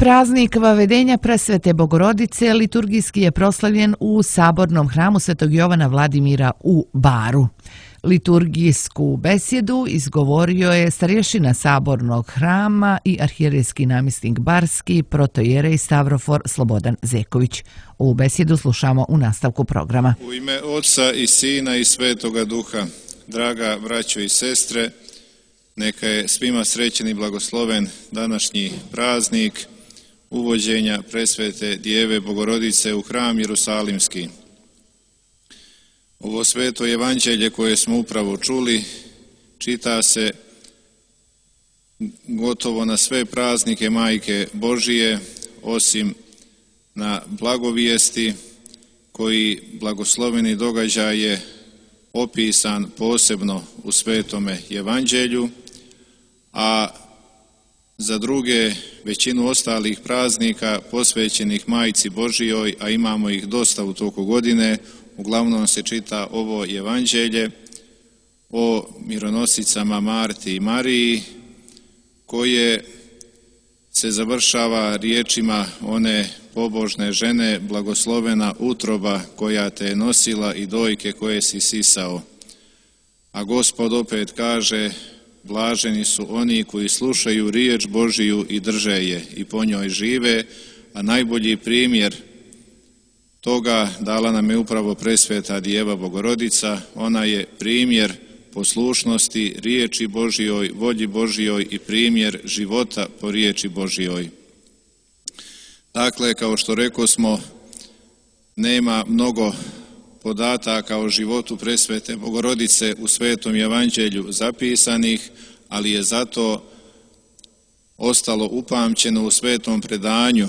Praznik Vavedenja Presvete Bogorodice liturgijski je proslavljen u Sabornom hramu Svetog Jovana Vladimira u Baru. Liturgijsku besjedu izgovorio je starješina Sabornog hrama i arhijerejski namjesnik Barski, protojerej Stavrofor Slobodan Zeković. Ovu besjedu slušamo u nastavku programa. U ime Oca i Sina i Svetoga Duha, draga braćo i sestre, neka je svima srećen i blagosloven današnji praznik uvođenja Presvete Djeve Bogorodice u hram Jerusalimski. Ovo sveto evanđelje koje smo upravo čuli čita se gotovo na sve praznike Majke Božije, osim na blagovijesti koji blagosloveni događaj je opisan posebno u svetome evanđelju, a za druge većinu ostalih praznika posvećenih Majci Božijoj, a imamo ih dosta u toku godine, uglavnom se čita ovo evanđelje o mironosicama Marti i Mariji, koje se završava riječima one pobožne žene: blagoslovena utroba koja te je nosila i dojke koje si sisao. A Gospod opet kaže: blaženi su oni koji slušaju riječ Božiju i drže je i po njoj žive, a najbolji primjer toga dala nam je upravo Presveta Djeva Bogorodica. Ona je primjer poslušnosti riječi Božjoj, volji Božjoj i primjer života po riječi Božjoj. Dakle, kao što rekosmo, nema mnogo podataka o životu Presvete Bogorodice u Svetom evanđelju zapisanih, ali je zato ostalo upamćeno u svetom predanju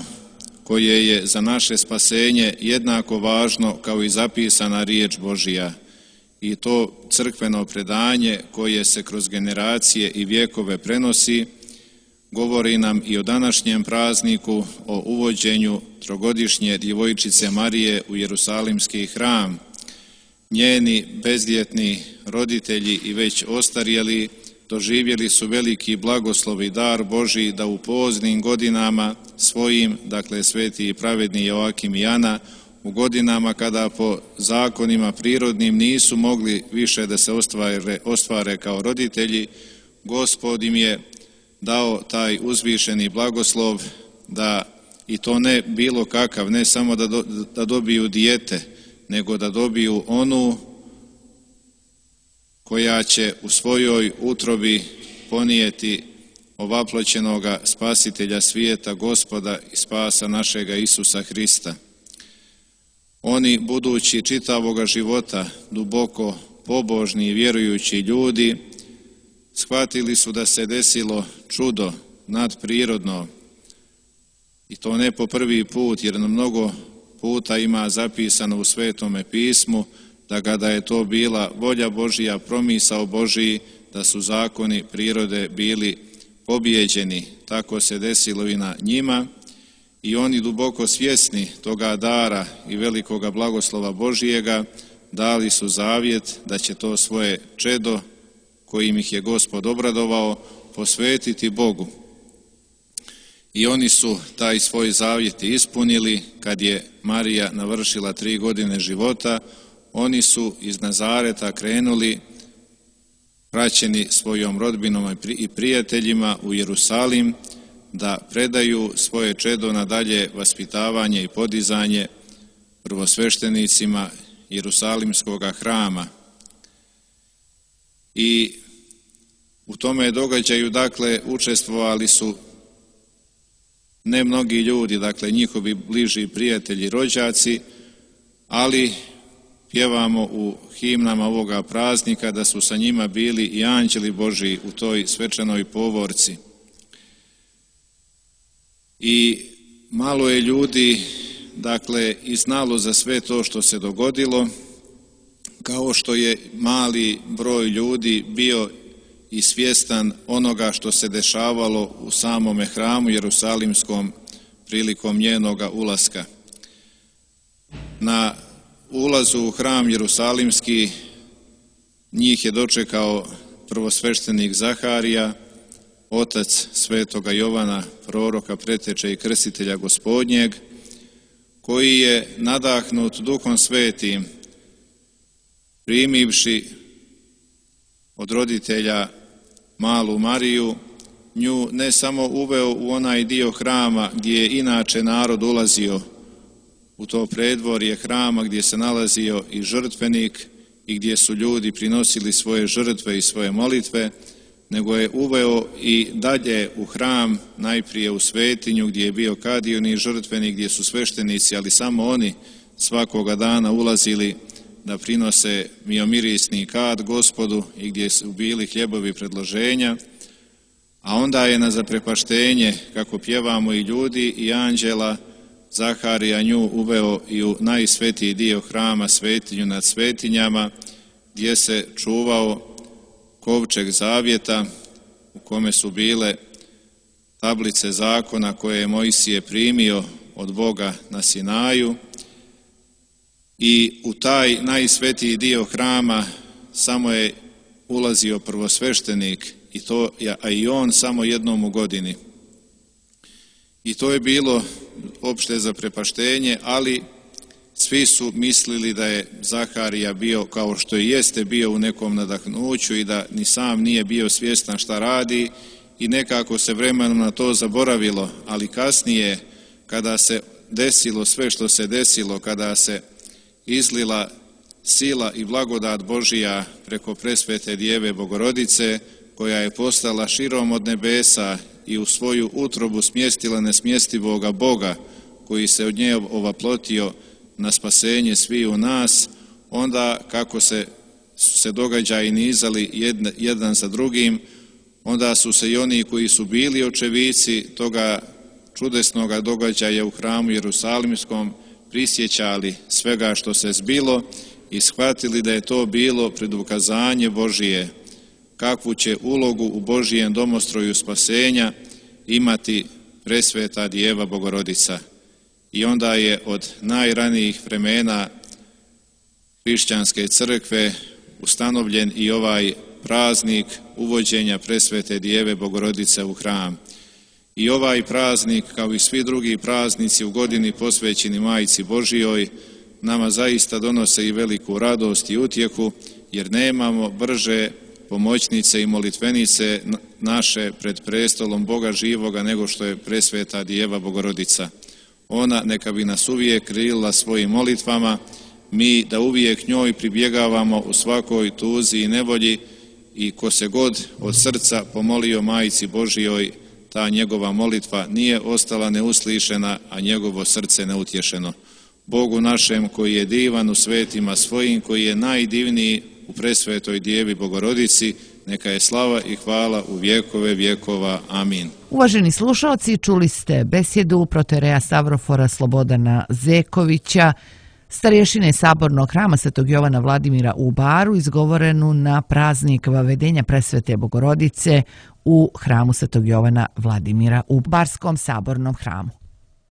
koje je za naše spasenje jednako važno kao i zapisana riječ Božja. I to crkveno predanje koje se kroz generacije i vjekove prenosi govori nam i o današnjem prazniku, o uvođenju trogodišnje djevojčice Marije u Jerusalimski hram. Njeni bezljetni roditelji i već ostarjeli doživjeli su veliki blagoslov i dar Božji da u poznim godinama svojim, dakle sveti i pravedni Joakim i Ana, u godinama kada po zakonima prirodnim nisu mogli više da se ostvare kao roditelji, Gospod im je dao taj uzvišeni blagoslov da, i to ne bilo kakav, ne samo da dobiju dijete, nego da dobiju onu koja će u svojoj utrobi ponijeti ovaploćenoga spasitelja svijeta, Gospoda i spasa našega Isusa Hrista. Oni, budući čitavoga života duboko pobožni i vjerujući ljudi, shvatili su da se desilo čudo nadprirodno, i to ne po prvi put, jer mnogo puta ima zapisano u Svetome pismu da kada je to bila volja Božja, promisao Božji, da su zakoni prirode bili pobijeđeni. Tako se desilo i na njima, i oni, duboko svjesni toga dara i velikoga blagoslova Božjega, dali su zavjet da će to svoje čedo, kojim ih je Gospod obradovao, posvetiti Bogu. I oni su taj svoj zavjet ispunili kad je Marija navršila 3 godine života. Oni su iz Nazareta krenuli, praćeni svojom rodbinom i prijateljima, u Jerusalim, da predaju svoje čedo na dalje vaspitavanje i podizanje prvosveštenicima Jerusalimskog hrama. I u tome događaju, dakle, učestvovali su ne mnogi ljudi, dakle njihovi bliži prijatelji, rođaci, ali pjevamo u himnama ovoga praznika da su sa njima bili i anđeli Božji u toj svečanoj povorci. I malo je ljudi, dakle, i znalo za sve to što se dogodilo, kao što je mali broj ljudi bio i svjestan onoga što se dešavalo u samome hramu Jerusalimskom prilikom njenoga ulaska. Na ulazu u hram Jerusalimski njih je dočekao prvosveštenik Zaharija, otac svetoga Jovana, proroka, preteče i krstitelja Gospodnjeg, koji je nadahnut Duhom Svetim, primivši od roditelja malu Mariju, nju ne samo uveo u onaj dio hrama gdje je inače narod ulazio, u to predvorje hrama gdje se nalazio i žrtvenik i gdje su ljudi prinosili svoje žrtve i svoje molitve, nego je uveo i dalje u hram, najprije u svetinju gdje je bio kadioni žrtvenik, gdje su sveštenici, ali samo oni svakoga dana ulazili da prinose miomirisni kad Gospodu i gdje su bili hljebovi predloženja, a onda je na zaprepaštenje, kako pjevamo i ljudi i anđela, Zaharija nju uveo i u najsvetiji dio hrama, svetinju nad svetinjama, gdje se čuvao kovčeg zavjeta u kome su bile tablice zakona koje je Mojsije primio od Boga na Sinaju, i u taj najsvetiji dio hrama samo je ulazio prvosveštenik, a i on samo jednom u godini. I to je bilo opšte zaprepaštenje, ali svi su mislili da je Zaharija bio, kao što i jeste bio, u nekom nadahnuću i da ni sam nije bio svjestan šta radi, i nekako se vremenom na to zaboravilo, ali kasnije kada se desilo sve što se desilo, kada se izlila sila i blagodat Božija preko presvete Djeve Bogorodice, koja je postala širom od nebesa i u svoju utrobu smjestila nesmjestivoga Boga, koji se od nje ovaplotio na spasenje sviju nas, onda kako su se događaji nizali jedan za drugim, onda su se i oni koji su bili očevici toga čudesnoga događaja u hramu Jerusalimskom prisjećali svega što se zbilo i shvatili da je to bilo predukazanje Božije, kakvu će ulogu u Božijem domostroju spasenja imati presveta Djeva Bogorodica. I onda je od najranijih vremena hrišćanske crkve ustanovljen i ovaj praznik uvođenja presvete Djeve Bogorodice u hram. I ovaj praznik, kao i svi drugi praznici u godini posvećeni Majci Božijoj, nama zaista donose i veliku radost i utjehu, jer nemamo brže pomoćnice i molitvenice naše pred prestolom Boga živoga nego što je presveta Djeva Bogorodica. Ona neka bi nas uvijek krilila svojim molitvama, mi da uvijek njoj pribjegavamo u svakoj tuzi i nevolji, i ko se god od srca pomolio Majci Božijoj, ta njegova molitva nije ostala neuslišena, a njegovo srce neutješeno. Bogu našem koji je divan u svetima svojim, koji je najdivniji u presvetoj Djevi Bogorodici, neka je slava i hvala u vjekove vjekova. Amin. Uvaženi slušalci, čuli ste besjedu protoijereja Stavrofora Slobodana Zekovića, starješine Sabornog hrama Svetog Jovana Vladimira u Baru, izgovorenu na praznik Vavedenja presvete Bogorodice u hramu Svetog Jovana Vladimira u Barskom sabornom hramu.